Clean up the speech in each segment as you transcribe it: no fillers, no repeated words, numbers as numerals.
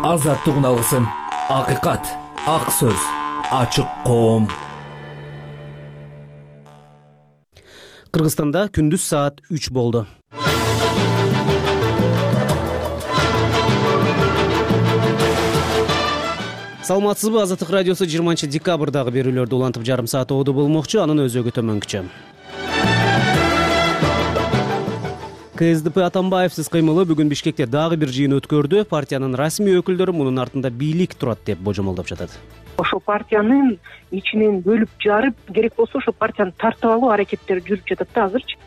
азаттыгын алгысың. Акыйкат, ак сөз, ачык коом. Кыргызстанда күндүз саат 3 болду. Саламатсызбы? Азаттык радиосу 20 декабрдагы берүүлөрдү улантып жарым саат оодо болмокчу, анын өзөгү төмөнкүчө. КСДП Атамбаевсиз кыймылы бүгүн Бишкекте дагы бир жыйын өткөрдү. Партиянын расмий өкүлдөрү мунун артында бийлик турат деп божомолдоп жатат. Ошо партиянын ичинен бөлүп жарып, керек болсо ошо партияны тартып алуу аракеттери жүрүп жатат да азырчы.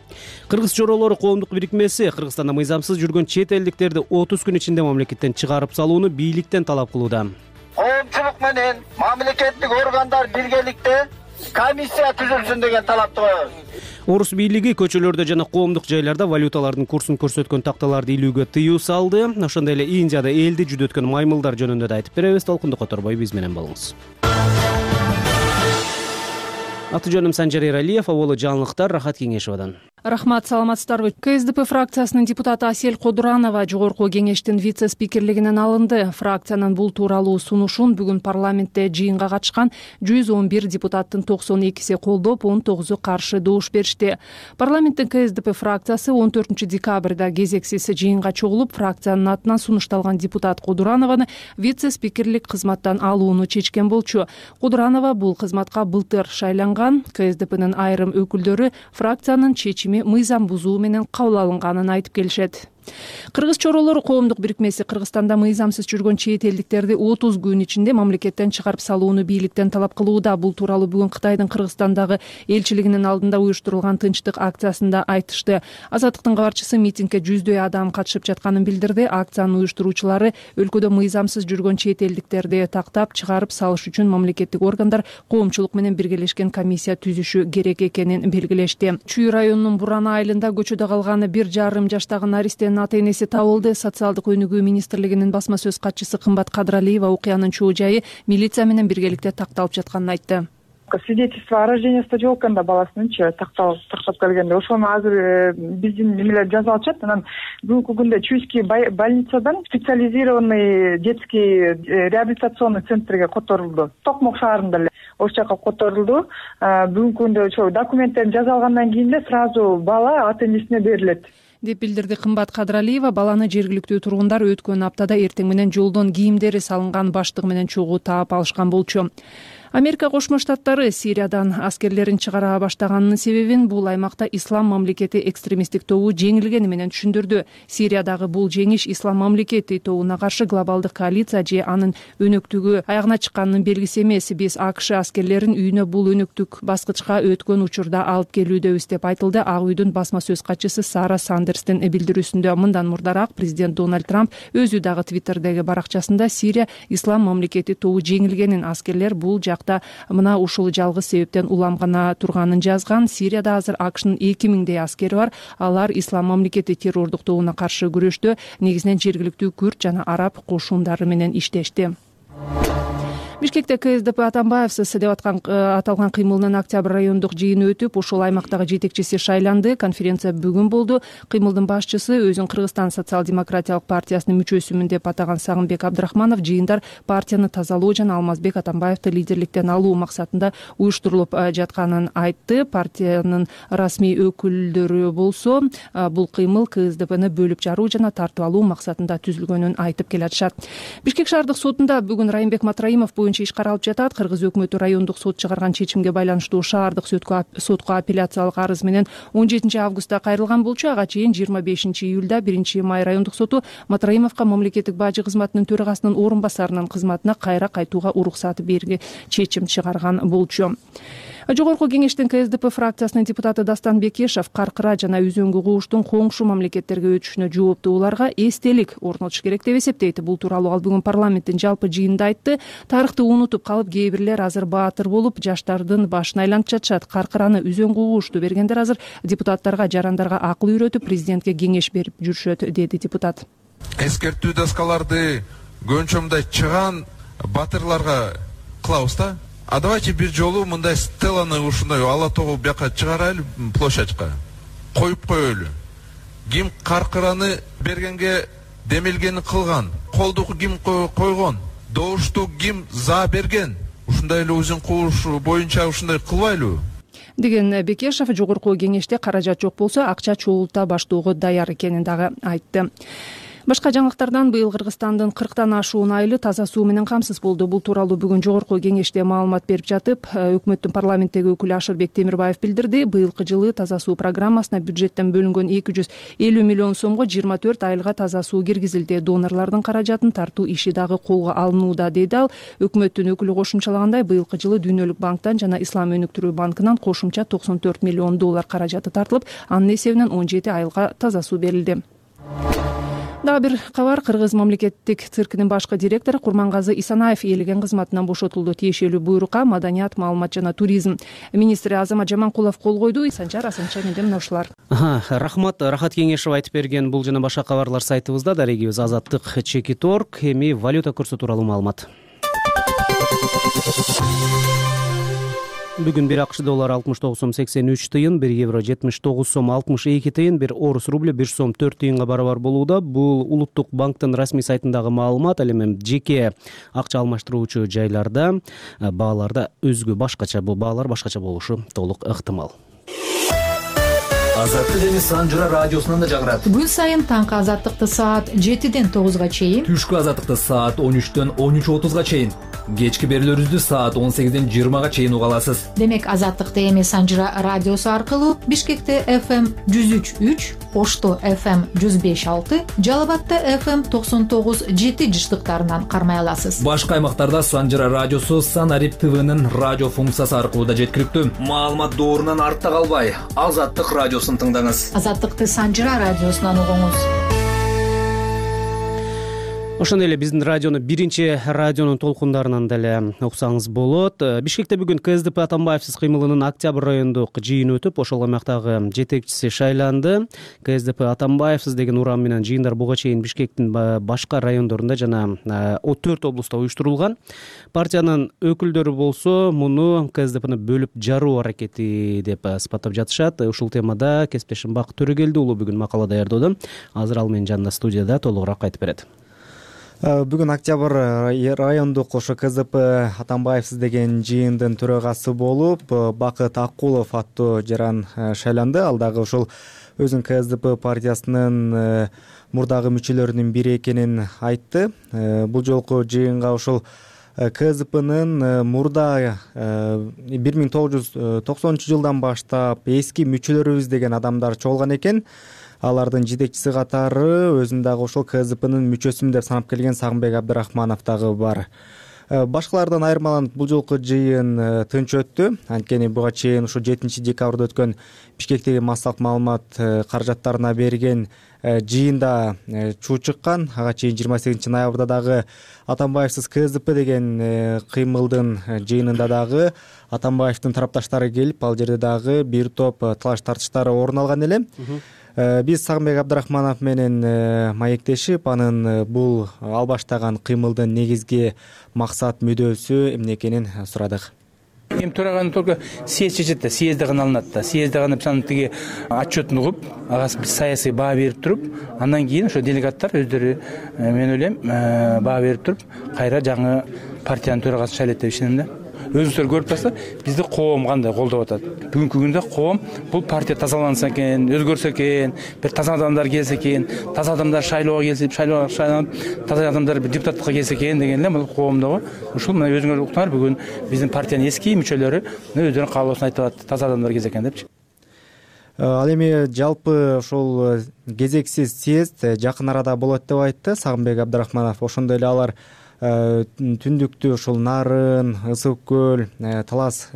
Кыргыз чоролору коомдук бирикмеси Кыргызстанда мыйзамсыз жүргөн чет элдиктерди 30 күн ичинде мамлекеттен чыгарып салууну бийликтен талап кылууда. Коомчулук менен мамлекеттик органдар биргеликте комиссия түзүлсүн деген талапты коебуз. Орус бийлиги көчөлөрдө жана коомдук жайларда валюталардын курсун көрсөткөн такталарды илүүгө тыюу салды. Ошондой эле Индияда элди жүдөткөн маймылдар жөнүндө да айтып беребиз. Толкунду которбой биз менен болуңуз. Аты жөнүм Санжар Эралиев, абалы жаңылыктар Рахат Кеңешовадан. Рахмат, саламатсыздарбы? КСДП фракциясынын депутаты Асель Кодуранова жогорку кеңештин вице-спикерлигинен алынды. Фракциянын бул тууралуу сунушун бүгүн парламентте жыйынга катышкан 111 депутаттын 92си колдоп, 19-у каршы добуш беришти. Парламенттин КСДП фракциясы 14 декабрда кезексиз жыйынга чогулуп, фракциянын атынан сунушталган депутат Кодуранованы вице-спикерлик кызматтан алууну чечкен болчу. Кодуранова бул кызматка былтыр шайланган. КСДПнын айрым өкүлдөрү фракциянын чечими мыйзам бузуу менен кабыл алынганын айтып келишет. Кыргыз чоролору коомдук бирикмеси Кыргызстанда мыйзамсыз жүргөн чет элдиктерди 30 күн ичинде мамлекеттен чыгарып салууну бийликтен талап кылууда. Бул тууралуу бүгүн Кытайдын Кыргызстандагы элчилигинин алдында уюштурулган тынчтык акциясында айтышты. Азаттыктын кабарчысы митингге жүздөй адам катышып жатканын билдирди. Акциянын уюштуруучулары өлкөдө мыйзамсыз жүргөн чет элдиктерди тактап чыгарып салыш үчүн мамлекеттик органдар коомчулук менен биргелешкен комиссия түзүшү керек экенин белгилешти. Чүй районунун Бурана айылында көчөдө калган 1,5 жаштагы наристенин ата-энеси табылды. Социалдык өнүгүү министрлигинин басма сөз катчысы Кымбат Кадралиева окуянын чоо жайы милиция менен биргеликте такталып жатканын айтты. Свидетельство о рождении жок экен да баласынынчы тактап келгенде ошону азыр биздин немелер жазып алышат. Анан бүгүнкү күндө Чуйский больницадан специализированный детский реабилитационный центрге которулду. Токмок шаарында эле ошол жака которулду. Бүгүнкү күндө ошо документтерин жазып алгандан кийин эле сразу бала ата-энесине берилет деп билдирди Кымбат Кадралиева. Баланы жергиликтүү тургундар өткөн аптада эртең менен жолдон кийимдери салынган баштыгы менен чогуу таап алышкан болчу. Америка Кошмо Штаттары Сириядан аскерлерин чыгара баштаганынын себебин бул аймакта Ислам мамлекети экстремисттик тобу жеңилгени менен түшүндүрдү. Сириядагы бул жеңиш Ислам мамлекети тобуна каршы глобалдык коалиция же анын өнөктүгү аягына чыкканынын белгиси эмес. Биз АКШ аскерлерин үйүнө бул өнөктүк баскычка өткөн учурда алып келүүдөбүз деп айтылды Ак үйдүн басма сөз катчысы Сара Сандерстин билдирүүсүндө. Мындан мурдараак президент Дональд Трамп өзү дагы Твиттердеги баракчасында Сирия Ислам мамлекети тобу жеңилгенин, аскерлер бул жакта мына ушул жалгыз себептен уламгана турганын жазган. Сирияда азыр АКШнын 2000дей аскери бар. Алар Ислам мамлекети террордук тобуна каршы күрөштө негизинен жергиликтүү күрд жана араб кошундары менен иштешти. Бишкекте КСДП Атамбаевсиз деп аталган кыймылдын октябрь райондук жыйыны өтүп, ушул аймактагы жетекчиси шайланды. Конференция бүгүн болду. Кыймылдын башчысы өзүн Кыргызстан социал-демократиялык партиясынын мүчөсүмүн деп атаган Сагынбек Абдрахманов жыйындар партияны тазалоо жана Алмазбек Атамбаевди лидерликтен алуу максатында уюштурулуп жатканын айтты. Партиянын расмий өкүлдөрү болсо бул кыймыл КСДПны бөлүп жаруу жана тартып алуу максатында түзүлгөнүн айтып келатышат. Бишкек шаардык сотунда бүгүн Райымбек Матраимов боюнча иш каралып жатат. Кыргыз өкмөтү райондук сот чыгарган чечимге байланыштуу шаардык сотко апелляциялык арыз менен 17 августта кайрылган болчу. Ага чейин 25 июлда 1 май райондук соту Матраимовго мамлекеттик бажы кызматынын төрагасынын орун басарынын кызматына кайра кайтууга уруксат берүүгө чечим чыгарган болчу. Жогорку кеңештин КСДП фракциясынын депутаты Дастан Бекешев Каркыра жана Үзөңгү кууштун коңшу мамлекеттерге өтүшүнө жооптуу уларга эстелик орнотуш керек деп эсептейт. Бул тууралуу ал бүгүн парламенттин жалпы жыйынында айтты. Тарыхты унутуп калып, кээ бирлер азыр баатыр болуп, жаштардын башын айлантып жатышат. Каркыраны, Үзөңгү куушту бергендер азыр депутаттарга, жарандарга акыл үйрөтүп, президентке кеңеш берип жүрүшөт, деди депутат. Эскертүү доскаларды көнчөмдөй чыган батырларга кылабыз да. А давайте бир жолу мындай стеланы ушундай ала тогу бияка чыгарайлы, площадька коюп коелу. Ким Каркыраны бергенге демелгени кылган, колду ким койгон, добушту ким за берген, ушундай эле узун кууш боюнча ушундай кылбайлыбы деген Бекешев жогорку кеңеште каражат жок болсо акча чогулта баштоого даяр экенин дагы айтты. Башка жаңылыктардан быйыл Кыргызстандын 40тан ашуун айылы таза суу менен камсыз болду. Бул тууралуу бүгүн жогорку кеңеште маалымат берип жатып, өкмөттүн парламенттеги өкүлү Ашырбек Темирбаев билдирди. Быйылкы жылы таза суу программасына бюджеттен бөлүнгөн 250 миллион сомго 24 айылга таза суу киргизилди. Донорлордун каражатын тартуу иши дагы колго алынууда, деди ал. Өкмөттүн өкүлү кошумчалагандай, быйылкы жылы Дүйнөлүк банктан жана Ислам өнүктүрүү банкынан кошумча $94 миллион каражаты тартылып, анын эсебинен 17 айылга таза суу берилди. Дагы бир кабар. Кыргыз мамлекеттик циркинин башкы директору Курмангазы Исанаев ээлеген кызматынан бошотулду. Тиешелүү буйрукка Маданият, маалымат жана туризм министри Азамат Жаманкулов кол койду. Санчар Асанча менде мына ушулар. Рахмат, Рахат Кеңешев айтып берген. Бул жана башка кабарлар сайтыбызда. Дарегибиз Азаттык.org. Эми валюта курсу тууралуу маалымат. Бүгүн 1 АКШ доллары 69 сом 83 тыйын, 1 евро 79 сом 62 тыйын, 1 орус рубль 1 сом 4 тыйынга барабар болууда. Бул Улуттук банктын расмий сайтындагы маалымат. Ал эми жеке акча алмаштыруучу жайларда бааларда өзгө башкача, бул баалар башкача болушу толук ыктымал. Азаттык эми Санжыра радиосунан да жагырат. Күн сайын таңкы азаттыкты саат 7ден 9га чейин, Түшкү азаттыкты саат 13дөн 13:30га чейин, кечки берүүлөрүбүздү саат 18ден 20га чейин уга аласыз. Демек азаттыкты эми Санжыра радиосу аркылуу Бишкекте FM 103.3, Ошто FM 105.6, Жалал Абадта FM 99.7 жыштыктарынан кармай аласыз. Башка аймактарда Санжыра радиосу Санарип ТВнын радио функциясы аркылуу да жеткиликтүү. Маалымат доорунан артта калбай, Азаттык радиосун тыңдаңыз. Азаттыкты Санжыра радиосунан угуңуз. Ошондой эле биздин радиону биринчи радионун толкундарынан деле уксаңыз болот. Бишкекте бүгүн КСДП Атамбаевсиз кыймылынын октябрь райондук жыйыны өтүп, ошол аймактагы жетекчиси шайланды. КСДП Атамбаевсиз деген урам менен жыйындар буга чейин Бишкектин башка райондорунда жана 4 облустта уюштурулган. Партиянын өкүлдөрү болсо муну КСДПны бөлүп жаруу аракети деп сыпаттап жатышат. Ушул темада кесиптешим Бакыт Төрөгелди уулу бүгүн макала даярдоодо. Азыр ал менин жанымда студияда толугураак айтып берет. Бүгүн октябрь райондук ошо КСДП Атамбаевсиз деген жыйындын төрагасы болуп, Бакыт Акулов аттуу жаран шайланды. Ал дагы ушул өзүнүн КСДП партиясынын мурдагы мүчөлөрүнүн бири экенин айтты. Бул жолку жыйынга ушул КСДПнын мурда 1990-жылдан баштап эски мүчөлөрүбүз деген адамдар чогулган экен. Алардын жетекчиси катары өзүм дагы ошол КСДПнын мүчөсүмүн деп санап келген Сагынбек Абдрахманов дагы бар. Башкалардан айырмаланып бул жолку жыйын тынч өттү. Анткени буга чейин ушу 7 декабрда өткөн Бишкектеги массалык маалымат каражаттарына берген жыйында чуу чыккан. Ага чейин 28 ноябрда дагы Атамбаевсиз КСДП деген кыймылдын жыйынында дагы Атамбаевдин тарапташтары келип, ал жерде дагы бир топ талаш тартыштар орун алган эле. Биз Сагынбек Абдрахманов менен маектешип, анын бул ал баштаган кыймылдын негизги максат мүдөөсү эмне экенин сурадык. Эми төраганы только съезд чечет да, съезде гана алынат да. Съезде гана биз анын тиги отчетун угуп, ага саясий баа берип туруп, андан кийин ошо делегаттар өздөрү, мен ойлойм, баа берип туруп, кайра жаңы партиянын төрагасын шайлайт деп ишенем да. Өзүңүздөр көрүп турасыздар, бизди коом кандай колдоп атат. Бүгүнкү күндө коом бул партия тазаланса экен, өзгөрсө экен, бир таза адамдар келсе экен, таза адамдар шайлоого келип, шайланып, таза адамдар депутаттыкка келсе экен деген эле бул коомдогу. Ушул мына өзүңөр уктуңар, бүгүн биздин партиянын эски мүчөлөрү өздөрүнүн каалоосун айтып атат, таза адамдар келсе экен депчи. Ал эми жалпы ошол кезексиз съезд жакын арада болот деп айтты Сагынбек Абдрахманов. Ошондой эле алар түндүктү ушул Нарын, Ысык көл, Талас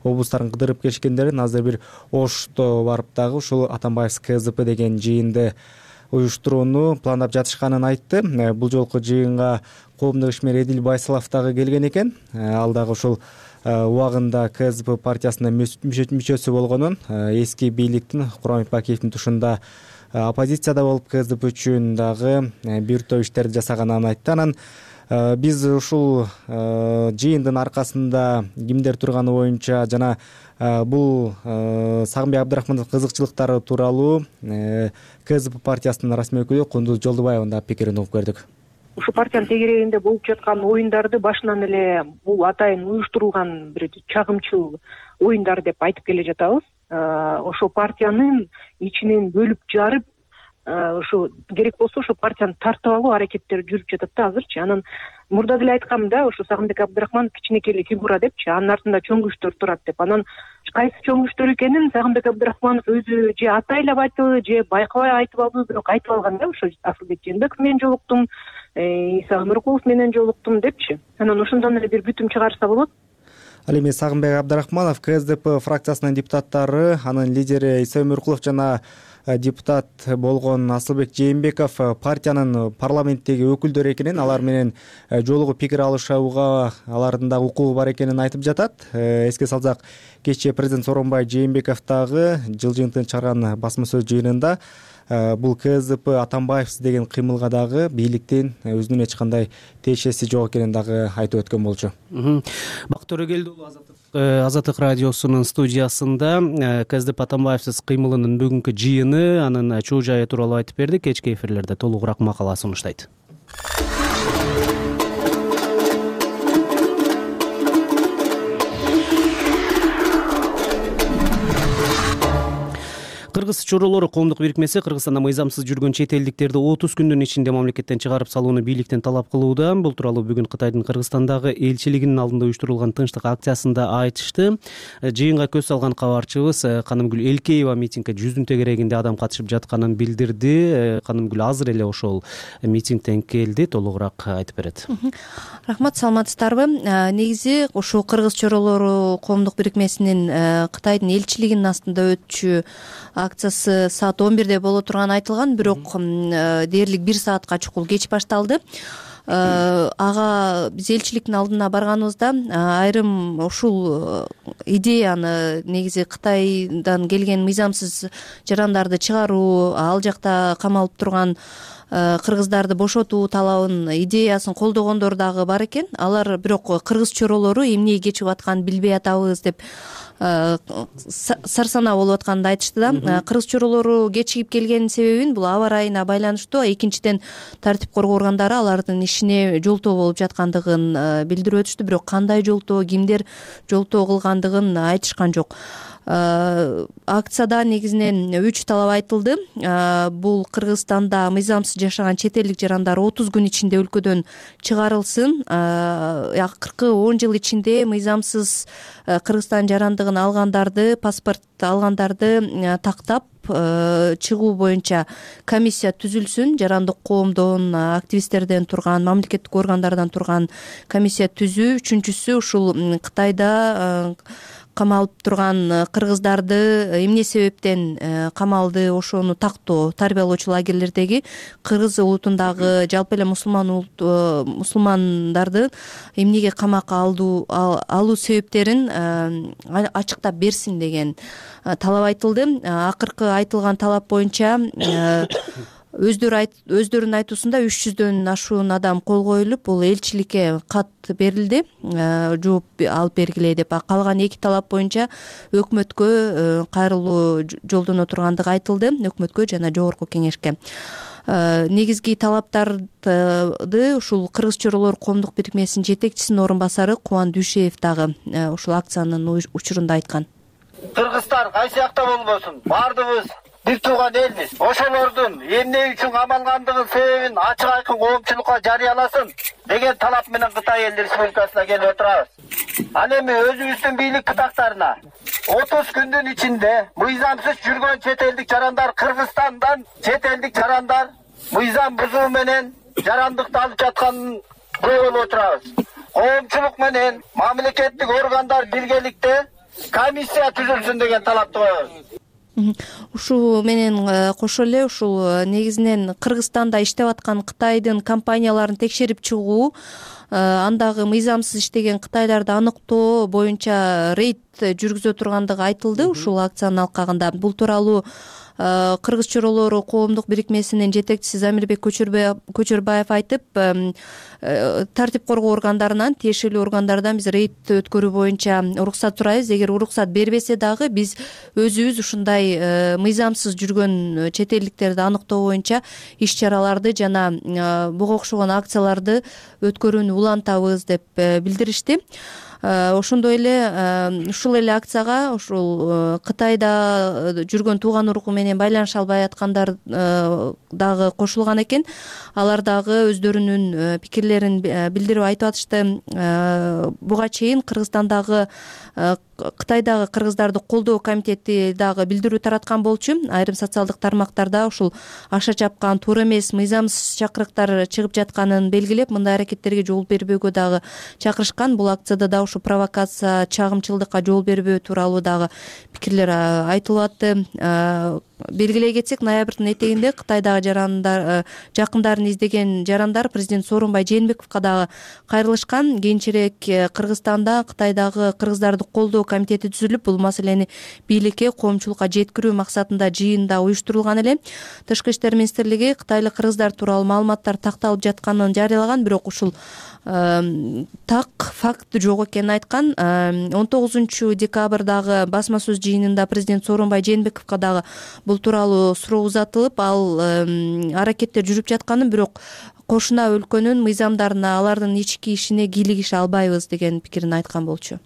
облустарын кыдырып келишкендерин азыр бир Ошто барып дагы ушул Атамбаевсиз КСДП деген жыйынды уюштурууну пландап жатышканын айтты. Бул жолку жыйынга коомдук ишмер Эдил Байсалов дагы келген экен. Ал дагы ушул убагында КСДП партиясынын мүчөсү болгонун, эски бийликтин Курамбек Бакиевдин тушунда оппозицияда болуп КСДП үчүн дагы бир топ иштерди жасаганын айтты. Анан биз ушул жыйындын аркасында кимдер турганы боюнча жана бул Сагынбек Абдрахмановдун кызыкчылыктары тууралуу КСДП партиясынын расмий өкүлү Кундуз Жолдубаевдын да пикирин угуп көрдүк. ушу партиянын тегерегинде болуп жаткан оюндарды башынан эле бул атайын уюштурулган бир чагымчыл оюндар деп айтып келе жатабыз. Ошо партиянын ичинен бөлүп жарып, ошо керек болсо ошо партияны тартып алуу аракеттери жүрүп жатат да азырчы. Анан мурда деле айткам да, ошо Сагынбек Абдрахманов кичинекей эле фигура депчи, анын артында чоң күчтөр турат деп. Анан кайсы чоң күчтөр экенин Сагынбек Абдрахманов өзү же атайлап айтыбы, же байкабай айтып албы, бирок айтып алган да, ошо Асылбек Жээнбеков менен жолуктум, Иса Өмүркулов менен жолуктум депчи. Анан ошондон эле бир бүтүм чыгарса болот. Ал эми Сагынбек Абдрахманов КСДП фракциясынын депутаттары, анын лидери Иса Өмүркулов жана депутат болгон Асылбек Жээнбеков партиянын парламенттеги өкүлдөрү экенин, алар менен жолугуп пикир алышууга алардын да укугу бар экенин айтып жатат. Эске салсак, кечээ президент Сооронбай Жээнбеков дагы жыл жыйынтыгын чыгарган басма сөз жыйынында бул КСДП Атамбаевсиз деген кыймылга дагы бийликтин өзүнүн эч кандай тиешеси жок экенин дагы айтып өткөн болчу. Бакыт Төрөгелди уулу, Азаттык радиосунун студиясында КСДП Атамбаевсиз кыймылынын бүгүнкү жыйыны, анын чоо жайы тууралуу айтып берди. Кечки эфирлерде толугураак макала сунуштайт. Кыргыз чоролору коомдук бирикмеси Кыргызстанда мыйзамсыз жүргөн чет элдиктерди 30 күндүн ичинде мамлекеттен чыгарып салууну бийликтен талап кылууда. Бул тууралуу бүгүн Кытайдын Кыргызстандагы элчилигинин алдында уюштурулган тынчтык акциясында айтышты. Жыйынга көз салган кабарчыбыз Канымгүл Элкеева митингге жүздүн тегерегинде адам катышып жатканын билдирди. Канымгүл азыр эле ошол митингден келди, толугураак айтып берет. Рахмат, саламатсыздарбы? Негизи ушул Кыргыз чоролору коомдук бирикмесинин Кытайдын элчилигинин астында өтчү акциясы саат 11-де боло турганы айтылган, бирок дээрлик 1 саатка чукул кеч башталды. Ага биз элчиликтин алдына барганыбызда айрым ушул идеяны, негизи Кытайдан келген мыйзамсыз жарандарды чыгаруу, ал жакта камалып турган кыргыздарды бошотуу талабын, идеясын колдогондор дагы бар экен. Алар бирок кыргыз чоролору эмне кечип атканын билбей атабыз деп сарсанаа болуп атканын айтышты да. Кыргыз чоролору кечигип келгенин себебин бул аба ырайына байланыштуу, экинчиден тартип коргоо органдары алардын ишине жолтоо болуп жаткандыгын билдирип өтүштү, бирок кандай жолтоо, кимдер жолтоо кылгандыгын айтышкан жок. Акцияда негизинен 3 талап айтылды. Бул Кыргызстанда мыйзамсыз жашаган чет элдик жарандар 30 күн ичинде өлкөдөн чыгарылсын. Акыркы 10 жыл ичинде мыйзамсыз Кыргызстан жарандыгын алгандарды, паспорт алгандарды тактап чыгуу боюнча комиссия түзүлсүн. Жарандык коомдон, активисттерден турган, мамлекеттик органдардан турган комиссия түзүү. Үчүнчүсү ушул Кытайда камалып турган кыргыздарды эмне себептен камалды, ошону тактоо, тарбиялоочу лагерлердеги кыргыз улутундагы жалпы эле мусулмандарды эмнеге камакка алуу себептерин ачыктап берсин деген талап айтылды. Акыркы айтылган талап боюнча өздөрүнүн айтуусунда 300дөн ашуун адам кол коюлуп, бул элчиликке кат берилди, жооп алып бергиле деп. Калган 2 талап боюнча өкмөткө кайрылуу жолдоно тургандыгы айтылды, өкмөткө жана жогорку кеңешке. Негизги талаптарды ушул Кыргыз чоролору коомдук бирикмесинин жетекчисинин орун басары Кубан Дүйшеев дагы ушул акциянын учурунда айткан. Кыргызстан кайсы жакта болбосун, баардыгыбыз бир тууган элбиз. Ошолордун эмне үчүн камалгандыгын себебин ачык айкын коомчулукка жарыяласын деген талап менен Кытай Эл Республикасына келип отурабыз. Ал эми өзүбүздүн бийлик кытактарына 30 күндүн ичинде мыйзамсыз жүргөн чет элдик жарандар, Кыргызстандан чет элдик жарандар мыйзам бузуу менен жарандыкты алып жатканын көрүп отурабыз. Коомчулук менен мамлекеттик органдар биргеликте комиссия түзүлсүн деген талапты коебуз. Ушул менен кошо эле ушул негизинен Кыргызстанда иштеп аткан Кытайдын компанияларын текшерип чыгуу, андагы мыйзамсыз иштеген кытайларды аныктоо боюнча рейд жүргүзө тургандыгы айтылды ушул акциянын алкагында. Бул тууралуу кыргыз чоролору коомдук бирикмесинин жетекчиси Замирбек Көчөрбаев айтып, тартип коргоо органдарынан, тиешелүү органдардан биз рейд өткөрүү боюнча уруксат сурайбыз. Эгер уруксат бербесе дагы биз өзүбүз ушундай мыйзамсыз жүргөн чет элдиктерди аныктоо боюнча иш чараларды жана буга окшогон акцияларды өткөрүүнү улантабыз деп билдиришти. Ошондой эле ушул эле акцияга ушул Кытайда жүргөн тууган уругу менен байланыша албай аткандар дагы кошулган экен. Алар дагы өздөрүнүн пикирлерин билдирип айтып атышты. Буга чейин Кыргызстандагы Кытайдагы кыргыздарды колдоо комитети дагы билдирүү тараткан болчу. Айрым социалдык тармактарда ушул аша чапкан, туура эмес, мыйзамсыз чакырыктар чыгып жатканын белгилеп, мындай аракеттерге жол бербөөгө дагы чакырышкан. Бул акцияда да ушу провокация, чагымчылдыкка жол бербөө тууралуу дагы пикирлер айтылып атты. Белгилей кетсек, ноябрдын этегинде Кытайдагы жакындарын издеген жарандар президент Сооронбай Жээнбековго дагы кайрылышкан. Кийинчерээк Кыргызстанда Кытайдагы кыргыздарды колдоо комитети түзүлүп, бул маселени бийликке, коомчулукка жеткирүү максатында жыйын да уюштурулган эле. Тышкы иштер министрлиги кытайлык кыргыздар тууралуу маалыматтар такталып жатканын жарыялаган, бирок ушул так факт жок экенин айткан. 19-декабрдагы басма сөз жыйынында президент Сооронбай Жээнбековго дагы бул тууралуу суроо узатылып, ал аракеттер жүрүп жатканын, бирок кошуна өлкөнүн мыйзамдарына, алардын ички ишине кийлигише албайбыз деген пикирин айткан болчу.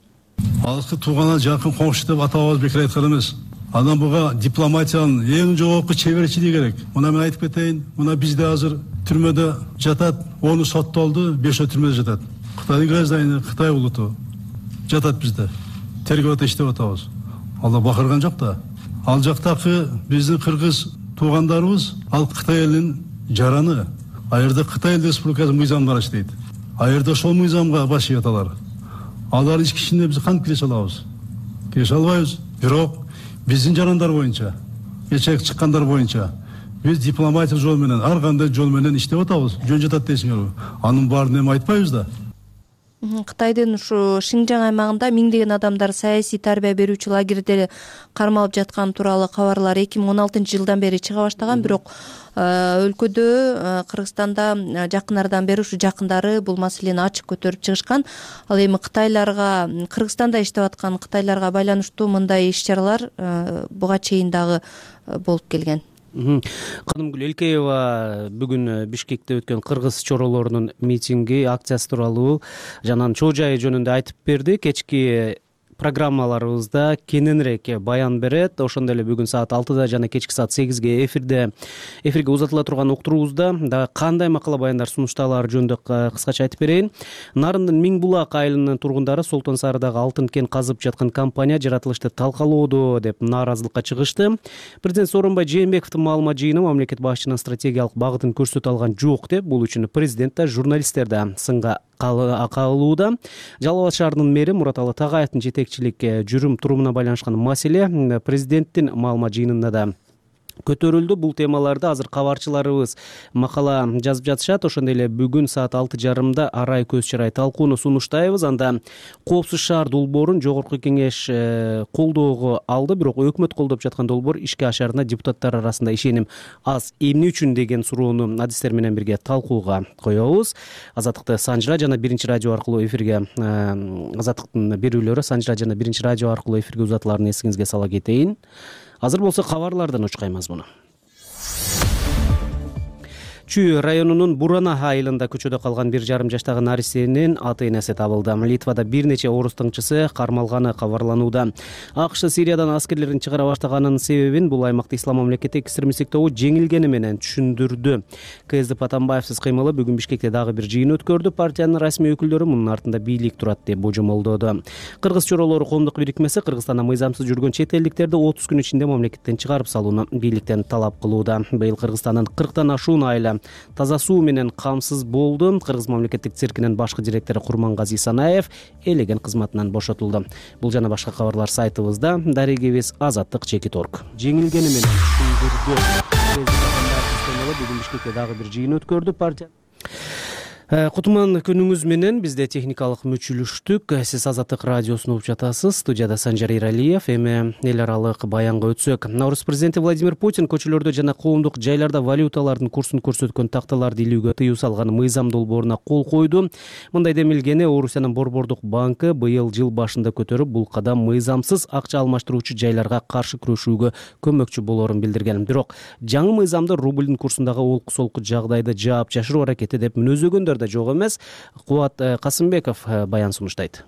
Алыскы туугана жакын коңшу деп атабыз бекер айткан эмес. Анан буга дипломатиянын эң жогорку чеберчилиги керек. Мына мен айтып кетейин, мына бизде азыр түрмөдө жатат, 10 соттолду, 5 түрмөдө жатат. Кытайдын граждани, Кытай улуту жатат бизде. Тергөөдө иштеп атабыз. Алла бакырган жок да. Ал жактагы биздин кыргыз туугандарыбыз ал Кытай элинин жараны. Айырда Кытай Республикасы мыйзамдары иштейт. Айырда ошол мыйзамга баш ийет алар. Алар ички ишине биз кантип киреше алабыз? Киреше албайбыз. Бирок биздин жарандар боюнча, эчек чыккандар боюнча биз дипломатия жол менен, ар кандай жол менен иштеп атабыз. Жөн жатат дейсиңерби? Анын баарын эми айтпайбыз да. Кытайдын ушу Шинжаң аймагында миңдеген адамдар саясий тарбия берүүчү лагерде кармалып жаткан тууралуу кабарлар 2016-жылдан бери чыга баштаган, бирок өлкөдө, Кыргызстанда жакын арадан бери ушу жакындары бул маселени ачык көтөрүп чыгышкан. Ал эми Кытайларга, Кыргызстанда иштеп аткан кытайларга байланыштуу мындай иш-чаралар буга чейин дагы болуп келген. Канымгүл Элкеева бүгүн Бишкекте өткөн кыргыз чоролорунун митинги, акциясы тууралуу жана чоо жайы жөнүндө айтып берди. Кечки программаларыбызда кененирээк баян берет. Ошондой эле бүгүн саат 6-да жана кечки саат 8-ге эфирге узатыла турган уктуруубузда дагы кандай макала баяндар сунушталары жөнүндө кыскача айтып берейин. Нарындын Миңбулак айылынын тургундары Солтон Сарыдагы алтын кен казып жаткан компания жаратылышты талкалоодо деп нааразылыкка чыгышты. Президент Сооронбай Жээнбековдун маалымат жыйыны мамлекет башчынын стратегиялык багытын көрсөтө алган жок деп, бул үчүн президент да, журналисттер да сынга кабылууда. Жалал Абад шаарынын мэри Мураталы Тагаевдин жетекчилик жүрүм турумуна байланышкан маселе президенттин маалымат жыйынында да көтөрүлдү. Бул темаларды азыр кабарчыларыбыз макала жазып жатышат. Ошондой эле бүгүн саат 6:30 арай көз чарай талкууну сунуштайбыз. Анда Коопсуз шаар долбоорун жогорку кеңеш колдоого алды, бирок өкмөт колдоп жаткан долбоор ишке ашарына депутаттар арасында ишеним аз. Эмне үчүн деген суроону адистер менен бирге талкууга коебуз. Азаттыкты Санжыра жана Биринчи радио аркылуу эфирге Азаттыктын берүүлөрү Санжыра жана Биринчи радио аркылуу эфирге узатыларын эсиңизге сала кетейин. Азыр болсо кабарлардан учкаймыз муну. Чүй районунун Бурана айылында көчөдө калган 1,5 жаштагы наристенин ата-энеси табылды. Литвада бир нече орус тыңчысы кармалганы кабарланууда. АКШ Сириядан аскерлерин чыгара баштаганын себебин бул аймакта ислам мамлекети экстремисттик тобу жеңилгени менен түшүндүрдү. КСДП Атамбаевсиз кыймылы бүгүн Бишкекте дагы бир жыйын өткөрдү. Партиянын расмий өкүлдөрү мунун артында бийлик турат деп божомолдоду. Кыргыз чоролору коомдук бирикмеси Кыргызстанда мыйзамсыз жүргөн чет элдиктерди 30 күн ичинде мамлекеттен чыгарып салууну бийликтен талап кылууда. Быйыл Кыргызстандын 40тан ашуун айла таза суу менен камсыз болду. Кыргыз мамлекеттик циркинин башкы директору Курмангази Санаев элеген кызматынан бошотулду. Бул жана башка кабарлар сайтыбызда. Дарегебиз Азаттык Чекит.орг. Жеңилгени менен түшүндүрдү. Бүгүн Бишкекте дагы бир жыйын өткөрдү партия. Кутман күнүңүз менен. Бизде техникалык мүчүлүштүк. Сиз Азаттык радиосун угуп жатасыз. Студияда Санжар Иралиев. Эми эл аралык баянга өтсөк. Орус президенти Владимир Путин көчөлөрдө жана коомдук жайларда валюталардын курсун көрсөткөн такталарды илүүгө тыюу салган мыйзам долбооруна кол койду. Мындай демилгени Орусиянын Борбордук банкы быйыл жыл башында көтөрүп, бул кадам мыйзамсыз акча алмаштыруучу жайларга каршы күрөшүүгө көмөкчү болоорун билдирген. Бирок жаңы мыйзамды рублдун курсундагы олку-солку жагдайды жаап жашыруу аракети деп мүнөзөгөндөр жок эмес. Кубат Касымбеков баян сунуштайт.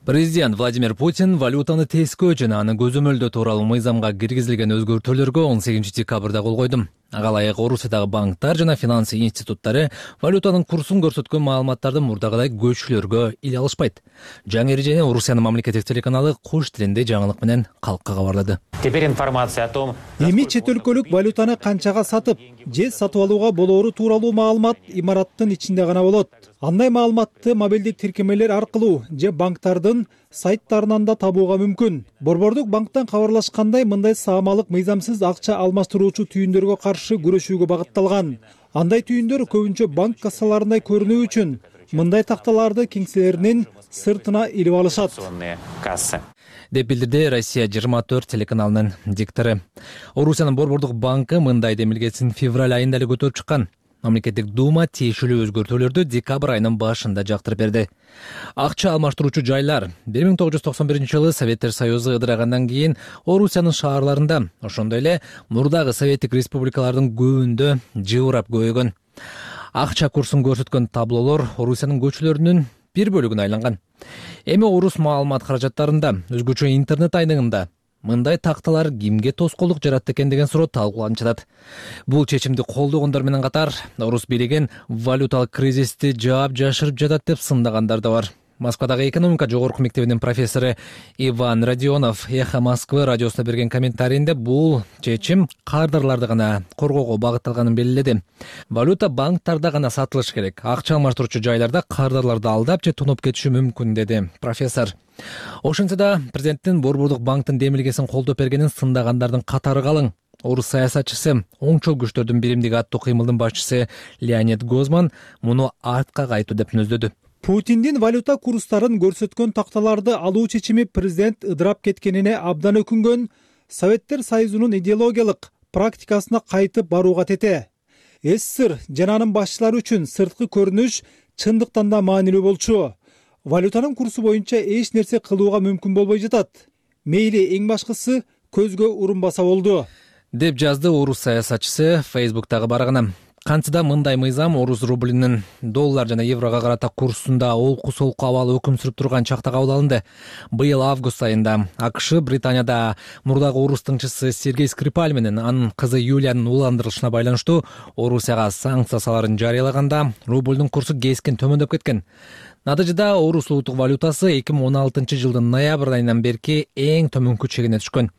Президент Владимир Путин валютаны тескөө жана аны көзөмөлдөө тууралуу мыйзамга киргизилген өзгөртүүлөргө 18 декабрда кол койду. Ага ылайык Орусиядагы банктар жана финансы институттары валютанын курсун көрсөткөн маалыматтарды мурдагыдай көчүлөргө иле алышпайт. Жаңы эрежени Орусиянын мамлекеттик телеканалы кош тилинде жаңылык менен калкка кабарлады. Теперь информация о том, эми чет өлкөлүк валютаны канчага сатып же сатып алууга болоору тууралуу маалымат имараттын ичинде гана болот. Андай маалыматты мобилдик тиркемелер аркылуу же банктардын сайттарынан да табууга мүмкүн. Борбордук банктан кабарлашкандай, мындай саамалык мыйзамсыз акча алмаштыруучу түйүндөргө каршы күрөшүүгө багытталган. Андай түйүндөр көбүнчө банк кассаларындай көрүнүү үчүн мындай такталарды кеңселеринин сыртына илип алышат деп билдирди Россия 24 телеканалынын диктору. Орусиянын Борбордук банкы мындай демилгесин февраль айында эле көтөрүп чыккан. Мамлекеттик дума тиешелүү өзгөртүүлөрдү декабрь айынын башында жактырып берди. Акча алмаштыруучу жайлар 1991-жылы Советтер Союзу ыдырагандан кийин Орусиянын шаарларында, ошондой эле мурдагы Советтик республикалардын көбүндө жыбырап көбөйгөн. Акча курсун көрсөткөн таблолор Орусиянын көчөлөрүнүн бир бөлүгүнө айланган. Эми орус маалымат каражаттарында, өзгөчө интернет айнегинде мындай такталар кимге тоскоолдук жаратты экен деген суроо талкууланып жатат. Бул чечимди колдогондор менен катар Орус бийлиги валюталык кризисти жаап жашырып жатат деп сындагандар да бар. Москвадагы экономика жогорку мектебинин профессору Иван Родионов Эхо Москвы радиосуна берген комментарийинде бул чечим кардарларды гана коргоого багытталганын белгиледи. Валюта банктарда гана сатылыш керек. Акча алмаштыруучу жайларда кардарларды алдап же тонуп кетиши мүмкүн, деди профессор. Ошентсе да президенттин Борбордук банктын демилгесин колдоп бергенин сындагандардын катары калың. Орус саясатчысы, оңчол күчтөрдүн биримдиги аттуу кыймылдын башчысы Леонид Гозман муну артка кайтуу деп мүнөздөдү. Путиндин валюта курстарын көрсөткөн такталарды алуу чечими президент ыдырап кеткенине абдан өкүнгөн, Советтер Союзунун идеологиялык практикасына кайтып барууга тете. СССР жана анын башчылары үчүн сырткы көрүнүш чындыктан да маанилүү болчу. Валютанын курсу боюнча эч нерсе кылууга мүмкүн болбой жатат. Мейли эң башкысы көзгө урунбаса болду, деп жазды орус саясатчысы Facebook'тагы барагына. Кантса мындай мыйзам орус рублинин доллар жана еврого карата курсунда олку-солку абалы өкүм сүрүп турган чакта кабыл алынды. Быйыл август айында АКШ Британияда мурдагы орус тыңчысы Сергей Скрипаль менен анын кызы Юлиянын уландырылышына байланыштуу Орусияга санкция саларын жарыялаганда рублдун курсу кескен төмөндөп кеткен. Натыйжада орус улуттук валютасы 2016 жылдын ноябрь айынан берки эң төмөнкү чегине түшкөн.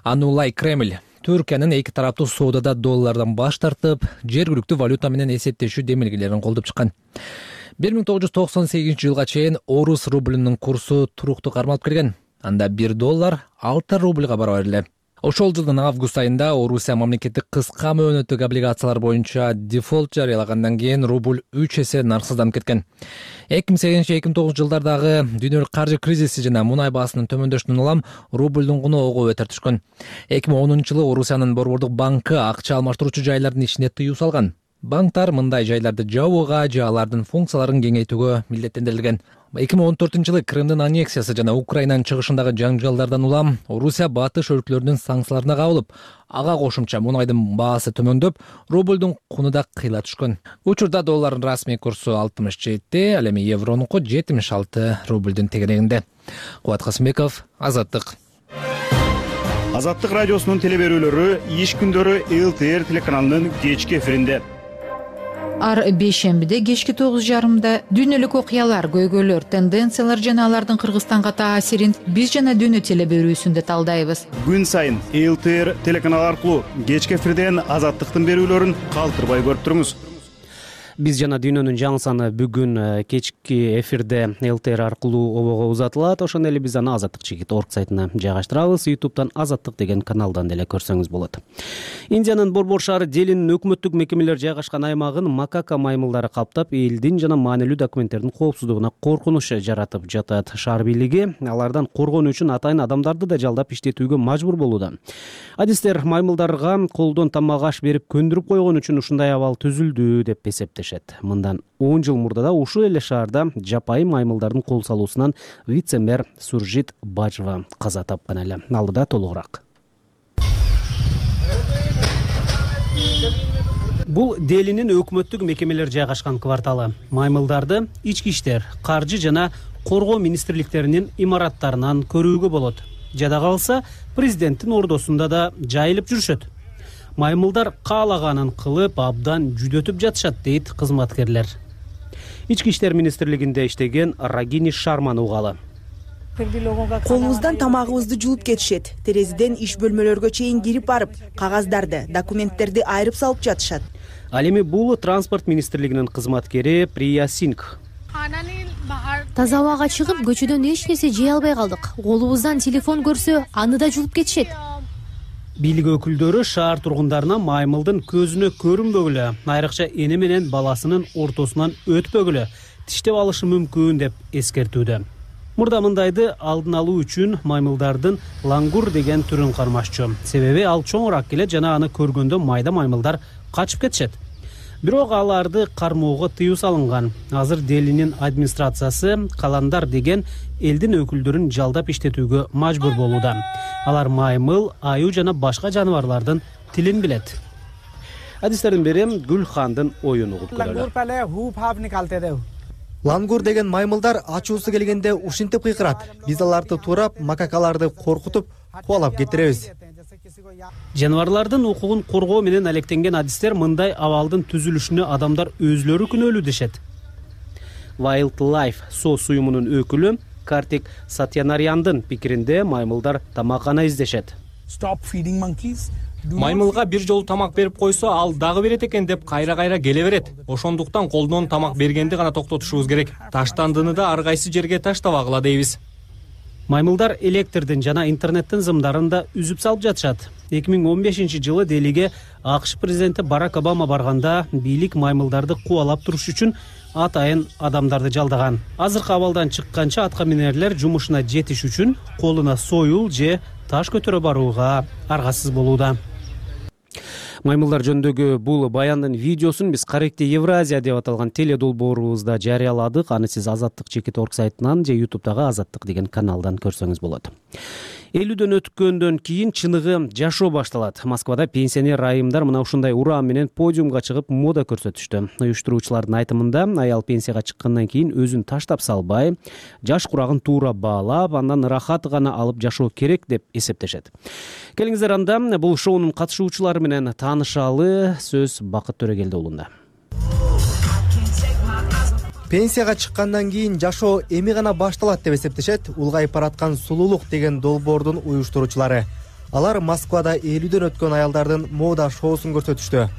Аны улай Кремль Түркиянын эки тараптуу соодада доллардан баш тартып, жергиликтүү валюта менен эсептешүү демилгелерин колдоп чыккан. 1998 жылга чейин орус рублинин курсу туруктуу кармалып келген. Анда 1 доллар 6 рубльга барабар эле. Ошол жылдын август айында Орусия мамлекеттик кыска мөөнөттүк облигациялар боюнча дефолт жарыялагандан кийин рубль 3 эсе нарсызданып кеткен. 2008-2009 жылдардагы дүйнөлүк каржы кризиси жана мунай баасынын төмөндөшүнөн улам рублдун куну ого бетер түшкөн. 2010 жылы Орусиянын Борбордук банкы акча алмаштыруучу жайлардын ишине тыюу салган. Банктар мындай жайларды жабууга же алардын функцияларын кеңейтүүгө милдеттендирилген. 2014 жылы Крымдын аннексиясы жана Украинанын чыгышындагы жаңжалдардан улам Орусия батыш өлкөлөрүнүн санкцияларына кабылып, ага кошумча мунайдын баасы төмөндөп, рублдун куну да кыйла түшкөн. Учурда доллардын расмий курсу 67, ал эми евронуку 76 рублдун тегерегинде. Кубат Касымбеков, Азаттык. Азаттык радиосунун телеберүүлөрү иш күндөрү ЛТР телеканалынын кечки эфиринде. Ар бейшембиде кечки 9:30 дүйнөлүк окуялар, көйгөйлөр, тенденциялар жана алардын Кыргызстанга таасирин биз жана дүйнө телеберүүсүндө талдайбыз. Күн сайын ЛТР телеканалы аркылуу кечки эфирден Азаттыктын берүүлөрүн калтырбай көрүп туруңуз. Биз жана дүйнөнүн жаңы саны бүгүн кечки эфирде ЛТР аркылуу обого узатылат. Ошондой эле биз аны азаттык чекит орг сайтына жайгаштырабыз. YouTube'дан азаттык деген каналдан деле көрсөңүз болот. Индиянын Борбор шаары Делинин өкмөттүк мекемелер жайгашкан аймагын макака маймылдары каптап, элдин жана маанилүү документтердин коопсуздугуна коркунуч жаратып жатат. Шаар бийлиги алардан коргонуу үчүн атайын адамдарды да жалдап иштетүүгө мажбур болууда. Адистер маймылдарга колдон тамак аш берип көндүрүп койгон үчүн ушундай абал түзүлдү деп эсептешет. Мындан 10 жыл мурда ушул эле шаарда жапайым маймылдардын кол салуусунан вице-мэр Суржит Бажова каза тапкан эле. Алдыда толугураак. Бул Делинин өкмөттүк мекемелер жайгашкан кварталы. Маймылдарды ички иштер, каржы жана коргоо министрликтеринин имараттарынан көрүүгө болот. Жада калса, президенттин ордосунда да жайылып жүрүшөт. Маймылдар каалаганын кылып, абдан жүдөтүп жатышат, дейт кызматкерлер. Ички иштер министрлигинде иштеген Рагини Шарманы угалы. Колубуздан тамагыбызды жуулуп кетишет. Терезеден иш бөлмөлөргө чейин кирип барып, кагаздарды, документтерди айырып салып жатышат. Ал эми бул транспорт министрлигинин кызматкери Прия Сингх. Таза абага чыгып, көчөдөн эч нерсе жей албай калдык. Колубуздан телефон көрсө, аны да жуулуп кетишет. Бийлик өкүлдөрү шаар тургундарына маймылдын көзүнө көрүнбөгүлө, айрыкча эне менен баласынын ортосунан өтпөгүлө, тиштеп алышы мүмкүн деп эскертүүдө. Мурда мындайды алдын алуу үчүн маймылдардын лангур деген түрүн кармашчу. Себеби ал чоңураак келет жана аны көргөндө майда маймылдар качып кетишет. Бирок аларды кармоого тыюу салынган. Азыр Делинин администрациясы каландар деген элдин өкүлдөрүн жалдап иштетүүгө мажбур болууда. Алар маймыл, аюу жана башка жаныбарлардын тилин билет. Адистердин бири Гүлхандын оюн угуп көрөлү. Лангур деген маймылдар ачуусу келгенде ушинтип кыйкырат. Биз аларды туурап, макакаларды коркутуп, кубалап кетиребиз. Жаныбарлардын укугун коргоо менен алектенген адистер мындай абалдын түзүлүшүнө адамдар өзлөрү күнөөлүү дешет. Wildlife SOS уюмунун өкүлү Картик Сатьянаряндын пикиринде маймылдар тамак гана издешет. Маймылга бир жолу тамак берип койсо, ал дагы берет экен деп кайра-кайра келе берет. Ошондуктан колдон тамак бергенди гана токтотушубуз керек. Таштандыны да ар кайсы жерге таштабагыла дейбиз. Маймылдар электрдин жана интернеттин зымдарын да үзүп салып жатышат. 2015-жылы Делиге АКШ президенти Барак Обама барганда бийлик маймылдарды кубалап туруш үчүн атайын адамдарды жалдаган. Азыркы абалдан чыкканча атка минерлер жумушуна жетиш үчүн колуна союл же таш көтөрө барууга аргасыз болууда. Маймылдар жөнүндөгү бул баяндын видеосун биз Каректе Евразия деп аталган теледолбоорубузда жарыяладык. Аны сиз Азаттык чекит орг сайтынан же YouTube'дагы Азаттык деген каналдан көрсөңүз болот. 50дөн өткөндөн кийин чыныгы жашоо башталат. Москвада пенсионер айымдар мына ушундай урам менен подиумга чыгып мода көрсөтүштү. Уюштуруучулардын айтымында аял пенсияга чыккандан кийин өзүн таштап салбай, жаш курагын туура баалап, андан ырахат гана алып жашоо керек деп эсептешет. Келиңиздер анда бул шоунун катышуучулары менен таанышалы. Сөз Бакыт Төрөгелди уулунда. Пенсияга чыккандан кийин жашоо эми гана башталат деп эсептешет улгайып бараткан сулуулук деген долбоордун уюштуруучулары. Алар Москвада 50дөн өткөн аялдардын мода шоусун көрсөтүштү.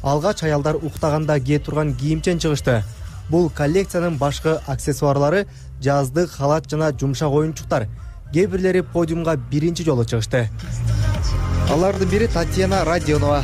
Алгач аялдар уктаганда кие турган кийимчен чыгышты. Бул коллекциянын башкы аксессуарлары жаздык халат жана жумшак оюнчуктар. Кээ бирлери подиумга биринчи жолу чыгышты. Алардын бири Татьяна Родионова.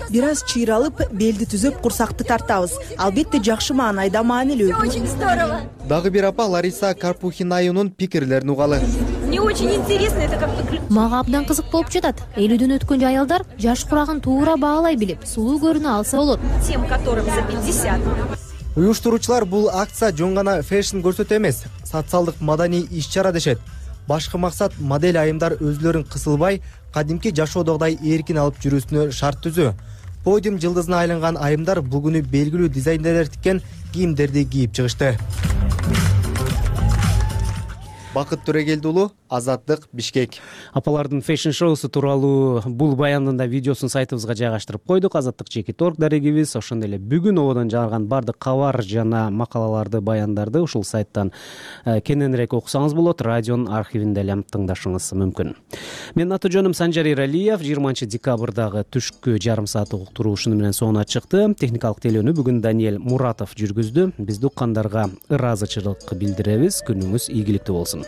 Бир аз чыйралып, белди түзөп, курсакты тартабыз. Албетте жакшы маанайда маанилүү. Очень здорово. Дагы бир апа Лариса Карпухинаюнун пикирлерин угалы. Мне очень интересно, это как-то... Мага абдан кызык болуп жатат. 50дөн өткөн аялдар жаш курагын туура баалай билип, сулуу көрүнө алса болот. Тем, которым за 50. Уюштуруучулар бул акция жөн гана фэшн көрсөтүү эмес, социалдык маданий иш-чара дешет. Башкы максат модель айымдар өзлөрүн кысылбай, кадимки жашоодогудай эркин алып жүрүүсүнө шарт түзүү. Подиум жылдызына айланган айымдар бул күнү белгилүү дизайнерлер тиккен кийимдерди кийип чыгышты. Бакыт Төрөгелди уулу, Азаттык, Бишкек. Апалардын фэшн шоусу тууралуу бул баяндын да видеосун сайтыбызга жайгаштырып койдук. Азаттык Чекит.org дарегибиз. Ошондой эле бүгүн ободон жарган баардык кабар жана макалаларды, баяндарды ушул сайттан кененирээк окусаңыз болот. Радионун архивинде эле тыңдашыңыз мүмкүн. Менин аты жөнүм Санжар Эралиев. 20 декабрдагы түшкү жарым сааттык уктуруу ушуну менен соңуна чыкты. Техникалык тейлөөнү бүгүн Даниэль Муратов жүргүздү. Биз уккандарга ыраазычылык билдиребиз. Күнүңүз ийгиликтүү болсун.